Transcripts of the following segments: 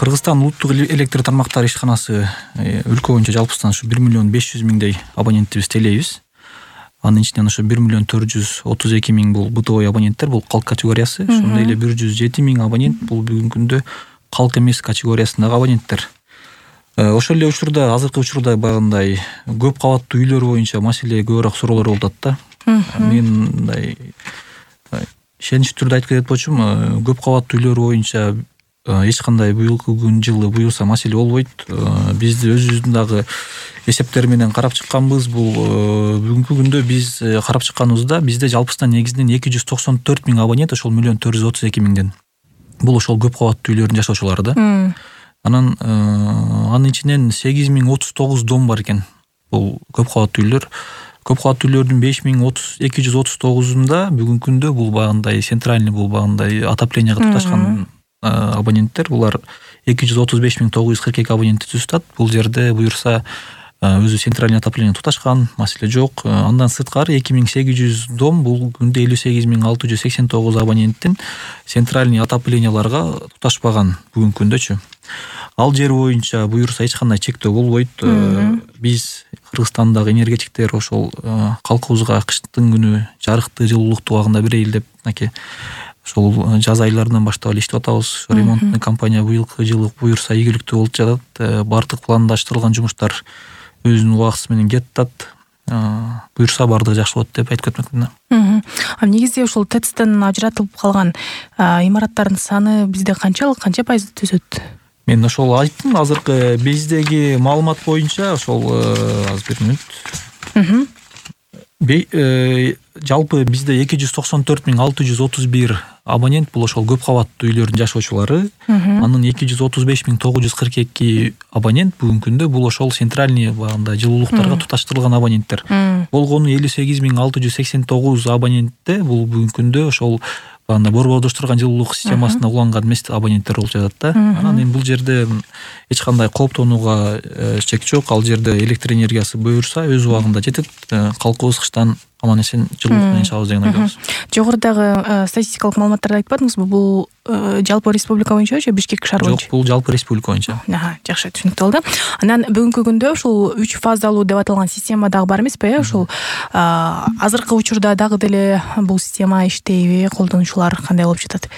Кыргызстан улуттук электр тармактары ишканасы өлкө боюнча жалпысынан ушу 1.500.000 абонентибиз тейлейбиз. Анын ичинен ошо 1.432.000 бул бытовой абоненттер, бул калк категориясы. Ошондой эле 107.000 абонент бул бүгүнкү күндө калк эмес категориясындагы абоненттер. Ошол эле учурда, азыркы учурда баягындай көп кабаттуу үйлөр боюнча маселе көбүрөөк суроолор болуп атат да. Мен мындай ишеничтүү түрдө айтып кетет болчумун, көп кабаттуу үйлөр боюнча эч кандай быйылкы жылы буюрса маселе болбойт. Биз өзүбүздүн дагы эсептер менен карап чыкканбыз. Бул бүгүнкү күндө биз карап чыкканыбызда бизде жалпысынан негизинен 294.000 абонент, ошол 1.432.000ден. Бул ошол көп кабаттуу үйлөрдүн жашоочулары да. Анан анын ичинен 8.039 дом бар экен. Бул көп кабаттуу үйлөр. Көп кабаттуу үйлөрдүн 5.239-унда бүгүнкү күндө бул багындай центральный, бул багындай отоплениеге туташкан абоненттер. Булар 235.942 абонентти түзүп. Бул жерде буюрса өзү центральный отопление туташкан, маселе жок. Андан сырткары 2.800 дом, бул күндө 58.689 абоненттин центральный отопленияларга туташпаган бүгүнкү күндөчү. Ал жер боюнча буюрса эч кандай чектөө болбойт. Биз Кыргызстандагы энергетиктер ошол калкыбызга кыштын күнү жарыкты, жылуулукту убагында берейли деп ошол жаз айларынан баштап эле иштеп атабыз. Ремонтный компания быйылкы жылы буюрса ийгиликтүү болуп жатат. Бардык пландаштырылган жумуштар өзүнүн убактысы менен кетип атат. Буюрса бардыгы жакшы болот деп айтып кетмекмин. Негизде ошол ТЭЦтен ажыратылып калган имараттардын саны бизде канча пайыз түзөт? Мен ошол айттым, азыркы биздеги маалымат боюнча ошол азыр бир мүнөт. Жалпы бизде 294.631 абонент, бул ошол көп кабаттуу үйлөрдүн жашоочулары. Анын 235.942 абонент бүгүнкү күндө бул ошол центральный багында жылуулуктарга туташтырылган абоненттер. Болгону 58.689 абонентте бул бүгүнкү күндө ошол борбордоштурган жылуулук системасына уланган эмес абоненттер болуп жатат да. Анан эми бул жерде эч кандай кооптонууга чек жок. Ал жерде электр энергиясы буюрса өз убагында жетет. Калкыбыз кыштан аман-эсен жылуулук менен чыгабыз деген ойдобуз. Жогорудагы статистикалык маалыматтарды айтпадыңызбы? Бул жалпы республика боюнча же Бишкек шаар боюнча? Жок, бул жалпы республика боюнча. Жакшы, түшүнүктүү болду. Анан бүгүнкү күндө ушул 3 фазалуу деп аталган система дагы бар эмеспи? Ушул азыркы учурда дагы деле бул система иштейби? Колдонуучулар кандай болуп жатат?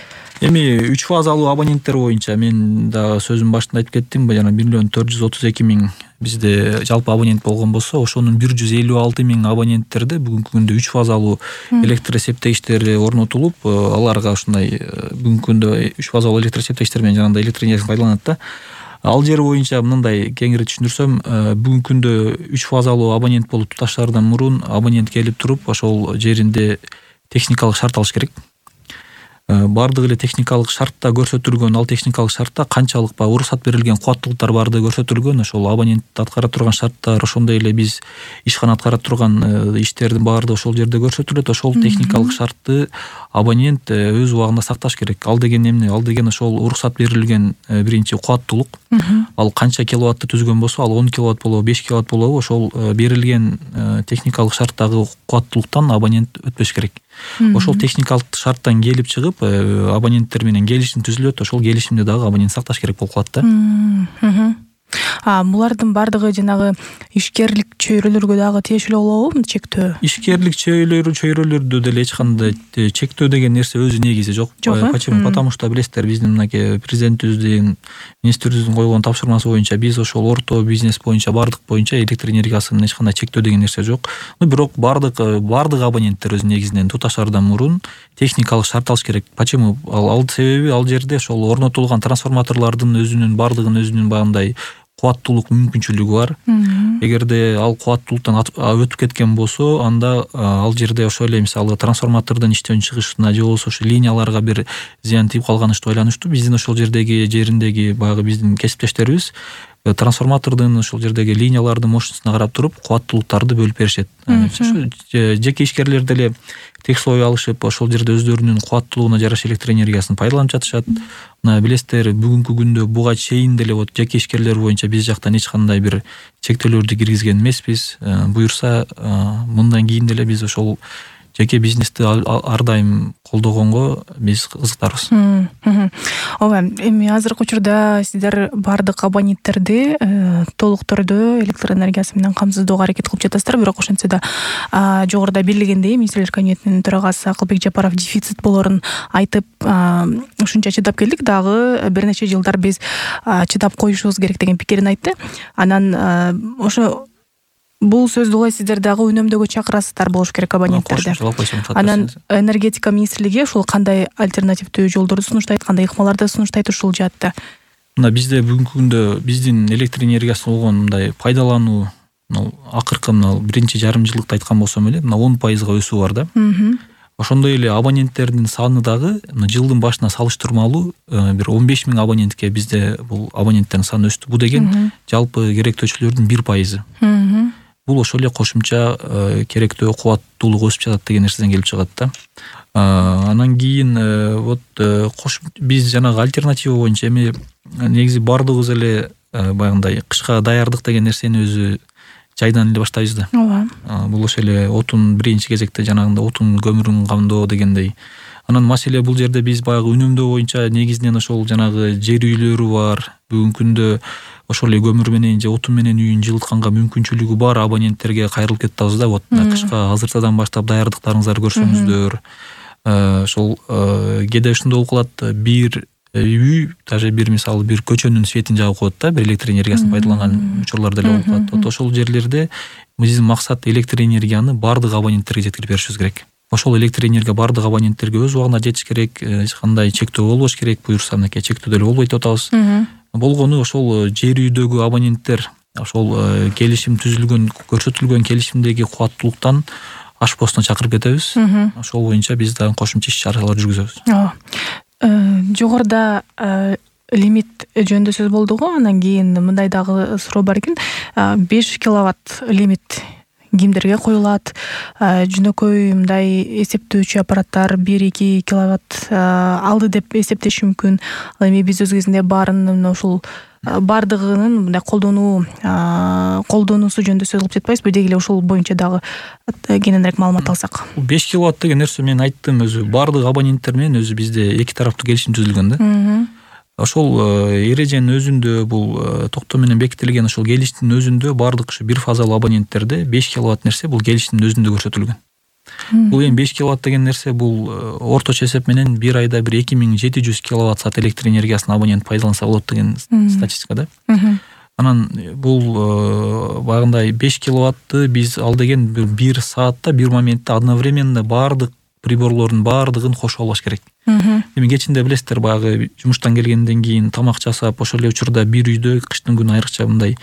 Эми 3 фазалуу абоненттер боюнча мен да сөзүмдүн башында айтып кеттим, жана 1.432.000 бизде жалпы абонент болгон болсо, ошонун 156.000 абоненттерде бүгүнкү күндө 3 фазалуу электр эсептегичтери орнотулуп, аларга ушундай бүгүнкү күндө 3 фазалуу электр эсептегичтер менен жанагындай электр энергиясын пайдаланат да. Ал жер боюнча мындай кеңири түшүндүрсөм, бүгүнкү күндө 3 фазалуу абонент болуп туташаардан мурун абонент келип туруп, ошол жеринде техникалык шарт алыш керек. Бардык эле техникалык шартта көрсөтүлгөн, ал техникалык шартта канчалык уруксат берилген кубаттуулуктар бардыгы көрсөтүлгөн. Ошол абонент аткара турган шарттар, ошондой эле биз ишкана аткара турган иштердин баардыгы ошол жерде көрсөтүлөт. Ошол техникалык шартты абонент өз убагында сакташ керек. Ал деген эмне? Ал деген ошол уруксат берилген биринчи кубаттуулук. Ал канча киловаттты түзгөн болсо, ал 10 киловатт болобу, 5 киловатт болобу, ошол берилген техникалык шарттагы кубаттуулуктан абонент өтпөш керек. Ошол техникалык шарттан келип чыгып, абоненттер менен келишим түзүлөт. Ошол келишимди дагы абонент сакташ керек болуп калат да. Булардын бардыгы жанагы ишкерлик чөйрөлөргө дагы тиешелүү болобу чектөө? Ишкерлик чөйрөлөрдө деле эч кандай чектөө деген нерсе өзү негизи жок. Почему? Потому что билесиздер, биздин мынакей президентибиздин, министрибиздин койгон тапшырмасы боюнча биз ошол орто бизнес боюнча, бардык боюнча электр энергиясынын эч кандай чектөө деген нерсе жок. Бирок бардык абоненттер өзү негизинен туташаардан мурун техникалык шарт алыш керек. Почему? Ал себеби ал жерде ошол орнотулган трансформаторлордун өзүнүн багындай кубаттуулук мүмкүнчүлүгү бар. Эгерде ал кубаттуулуктан өтүп кеткен болсо, анда ал жерде ошол эле мисалы трансформатордун иштен чыгышына же болбосо ошо линияларга бир зыян тийип калганычты ойлонушту. Биздин ошол жериндеги баягы биздин кесиптештерибиз трансформатордун ошол жердеги линиялардын мощностуна карап туруп кубаттуулуктарды бөлүп беришет. Жеке ишкерлер деле текслой алышып, ошол жерде өздөрүнүн кубаттуулугуна жараша электр энергиясын пайдаланып жатышат. Билесиздер, бүгүнкү күндө буга чейин деле жеке ишкерлер боюнча биз жактан эч кандай бир чектөөлөрдү киргизген эмеспиз. Буюрса, мындан кийин деле биз ошол жеке бизнести ар дайым колдогонго биз кызыктарбыз. Ооба, эми азыркы учурда сиздер баардык абоненттерди толук түрдө электр энергиясы менен камсыздоого аракет кылып жатасыздар, бирок ошентсе да жогоруда белгилегендей министрлер кабинетинин төрагасы Акылбек Жапаров дефицит болорун айтып, ушунча чыдап келдик, дагы бир нече жылдар биз чыдап коюшубуз керек деген пикирин айтты. Анан ошо бул сөздү улай сиздер дагы үнөмдөөгө чакырасыздар болуш керек абоненттерди. Анан энергетика министрлиги ушул кандай альтернативдүү жолдорду сунуштайт, кандай ыкмаларды сунуштайт ушул жаатта? Мына бизде бүгүнкү күндө биздин электр энергиясын болгон мындай пайдалануу акыркы биринчи жарым жылдыкта айткан болсом эле 10% өсүү бар да. Ошондой эле абоненттердин саны дагы жылдын башына салыштырмалуу бир 15 000 абонентке бизде бул абоненттердин саны өстү. Бул деген жалпы керектөөчүлөрдүн 1%. Бул ошол эле кошумча керектөө кубаттуулук өсүп жатат деген нерседен келип чыгат да. Анан кийин биз жанагы альтернатива боюнча эми негизи баардыгыбыз эле баягындай кышка даярдык деген нерсени өзү жайдан эле баштайбыз да. Ооба. Бул ошол эле отун биринчи кезекте жанагындай отун көмүрүн камдоо дегендей. Анан маселе бул жерде биз баягы үнөмдөө боюнча негизинен ошол жанагы жер үйлөрү бар. Бүгүнкү күндө ошол эле көмүр менен же отун менен үйүн жылытканга мүмкүнчүлүгү бар абоненттерге кайрылып кетип атабыз да. Вот кышка азыртадан баштап даярдыктарыңыздарды көрсөңүздөр. Ошол кээде ушундай болуп калат, бир үй, даже бир мисалы бир көчөнүн светин жагып коет да, бир электр энергиясын пайдаланган учурлар деле болуп калат. Вот ошол жерлерде биздин максат электр энергияны баардык абоненттерге жеткирип беришибиз керек. Ошол электр энергия баардык абоненттерге өз убагында жетиш керек, эч кандай чектөө болбош керек, буюрса мынакей чектөө деле болбойт деп атабыз. Болгону ошол жер үйдөгү абоненттер ошол келишим түзүлгөн, көрсөтүлгөн келишимдеги кубаттуулуктан ашпостон чакырып кетебиз. Ошол боюнча биз дагы кошумча иш-чаралар жүргүзөбүз. Жогоруда лимит жөнүндө сөз болду го, анан кийин мындай дагы суроо бар экен. 5 киловатт лимит кимдерге коюлат? Жөнөкөй мындай эсептөөчү аппараттар 1-2 киловатт алды деп эсептеш мүмкүн. Ал эми биз өз кезинде баарын ушул баардыгынын мындай колдонуусу жөнүндө сөз кылып жатпайбызбы? Деги эле ушул боюнча дагы кененирээк маалымат алсак. 5 киловатт деген нерсе мен айттым, өзү баардык абоненттер менен өзү бизде эки тараптуу келишим түзүлгөн да. Ошол эреженин өзүндө бул токтом менен бекитилген ошол келишимдин өзүндө баардык ушу бир фазалуу абоненттерде 5 киловатт нерсе бул келишимдин өзүндө көрсөтүлгөн. Бул эми 5 киловатт деген нерсе бул орточо эсеп менен бир айда бир 2700 киловатт саат электр энергиясын абонент пайдаланса болот деген статистика да. Анан бул багындай 5 киловатты биз ал деген бир саатта бир моментте одновременно баардык приборлордун баардыгын кошуп албаш керек. Эми кечинде билесиздер, баягы жумуштан келгенден кийин тамак жасап, ошол эле учурда бир үйдө кыштын күнү айрыкча мындай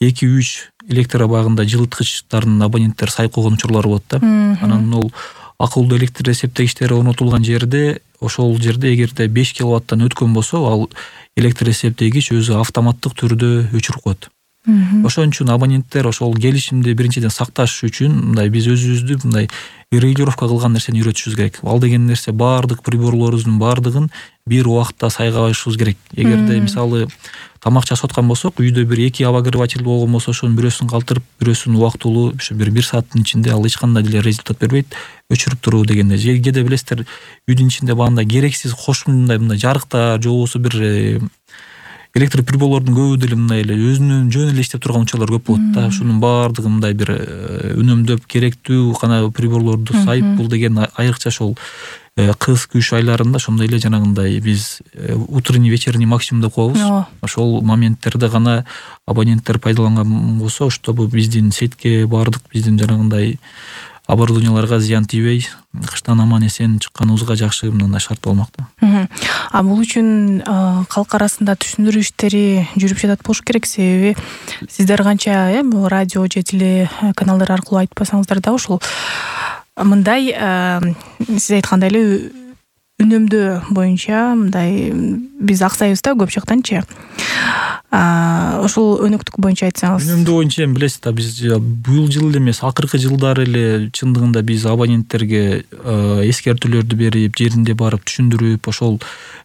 2-3 электр багында жылыткычтардын абоненттер сайып койгон учурлар болот да. Анан ол акылдуу электр эсептегичтери орнотулган жерде, ошол жерде эгерде 5 киловаттан өткөн болсо, ал электр эсептегич өзү автоматтык түрдө өчүрүп коет. Ошон үчүн абоненттер ошол келишимди биринчиден сакташ үчүн мындай биз өзүбүздү мындай регулировка кылган нерсени үйрөтүшүбүз керек. Ал деген нерсе баардык приборлорубуздун баардыгын бир убакта сайгабашыбыз керек. Эгерде мисалы тамак жасап аткан болсок, үйдө бир 2 обогреватель болгон болсо, ошонун бирөөсүн калтырып, бирөөсүн убактылуу ушу бир сааттын ичинде ал эч кандай деле результат бербейт, өчүрүп туруу дегенде. Кээде билесиздер, үйдүн ичинде баандай керексиз кошумча мындай жарыктар же болбосо бир электр приборлордун көбү деле мындай эле өзүнүн жөн эле иштеп турган учурлар көп болот да. Ушунун баардыгы мындай бир үнөмдөп керектүү гана приборлорду сайып, бул деген айрыкча ошол кыз күч айларында ошондой эле жанагындай биз утренний вечерний максимум деп коебуз. Ошол моменттерде гана абоненттер пайдаланган болсо, чтобы биздин сетке баардык биздин жанагындай оборудованияларга зыян тийбей, кыштан аман эсен чыкканыбызга жакшы мындай шарт болмок да. Бул үчүн калк арасында түшүндүрүү иштери жүрүп жатат болуш керек, себеби сиздер канча радио же теле каналдар аркылуу айтпасаңыздар да, ушул мындай сиз айткандай эле үнөмдөө боюнча мындай биз аксайбыз да көп жактанчы. Ошол өнөктүк боюнча айтсаңыз. Үнөмдөө боюнча эми билесиз да, биз бул жыл эле эмес, акыркы жылдары эле чындыгында биз абоненттерге эскертүүлөрдү берип, жеринде барып түшүндүрүп, ошол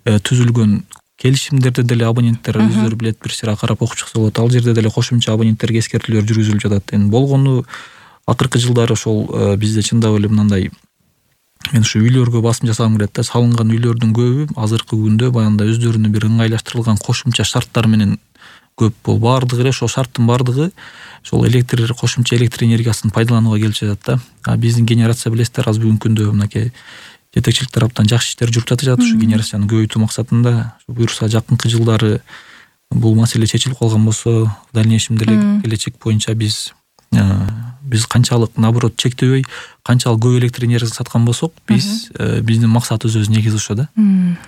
түзүлгөн келишимдерди деле абоненттер өздөрү билет, бир сыйра карап окуп чыкса болот. Ал жерде деле кошумча абоненттерге эскертүүлөр жүргүзүлүп жатат. Эми болгону акыркы жылдары ошол бизде чындап эле мындай мен ушу үйлөргө басым жасагым келет да. Салынган үйлөрдүн көбү азыркы күндө баягындай өздөрүнүн бир ыңгайлаштырылган кошумча шарттар менен көп. Бул баардыгы эле ошол шарттын баардыгы ошол кошумча электр энергиясын пайдаланууга келип жатат да. А биздин генерация билесиздер азыр бүгүнкү күндө мынакей жетекчилик тараптан жакшы иштер жүрүп жатышат ушу генерацияны көбөйтүү максатында. Буюрса жакынкы жылдары бул маселе чечилип калган болсо, в дальнейшем деле келечек боюнча биз канчалык наоборот чектебей, канчалык көп электр энергиясын саткан болсок, биздин максатыбыз негизи ошо да.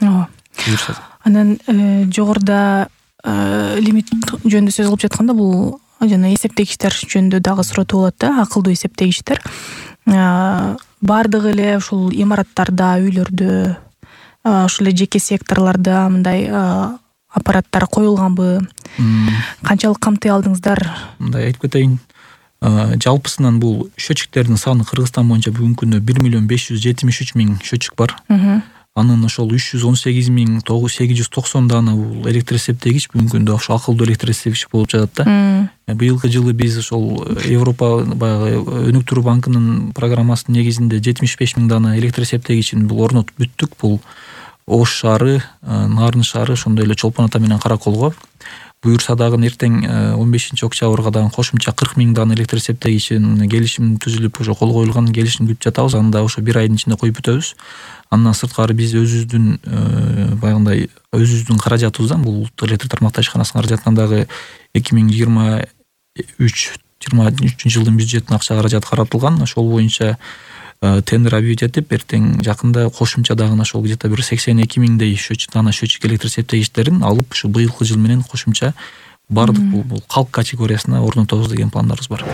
Ооба. Анан жогоруда лимит жөнүндө сөз кылып жатканда бул жана эсептегичтер жөнүндө дагы суротуу болот да. Акылдуу эсептегичтер баардыгы эле ушул имараттарда, үйлөрдө, ушул эле жеке секторлордо мындай аппараттар коюлганбы? Канчалык камтый алдыңыздар? Мындай айтып кетейин. Жалпысынан бул счетчиктердин саны Кыргызстан боюнча бүгүнкү күндө 1.573.000 счетчик бар. Анын ошол 318.890 дана бул электр эсептегич бүгүнкү күндө ошо акылдуу электр эсептегич болуп жатат да. Быйылкы жылы биз ошол Европа баягы өнүктүрүү банкынын программасынын негизинде 75.000 дана электр эсептегичин бул орнотуп бүттүк. Бул Ош шаары, Нарын шаары, ошондой эле Чолпон ата менен Караколго. Буюрса дагы эртең 15-октябрга дагы кошумча 40.000 дана электр эсептегичин келишим түзүлүп, ошо кол коюлган келишим күтүп жатабыз. Аны да ошо бир айдын ичинде коюп бүтөбүз. Андан сырткары биз өзүбүздүн каражатыбыздан, бул улуттук электр тармактар ишканасынын каражатынан дагы 2023 жылдын бюджетине акча каражат каратылган. Ошол боюнча тендер объявить этип, эртең жакында кошумча дагы ошол где-то бир 82.000 счетчик электр эсептегичтерин алып, ушу быйылкы жыл менен кошумча бардык бул калк категориясына орнотобуз деген пландарыбыз бар.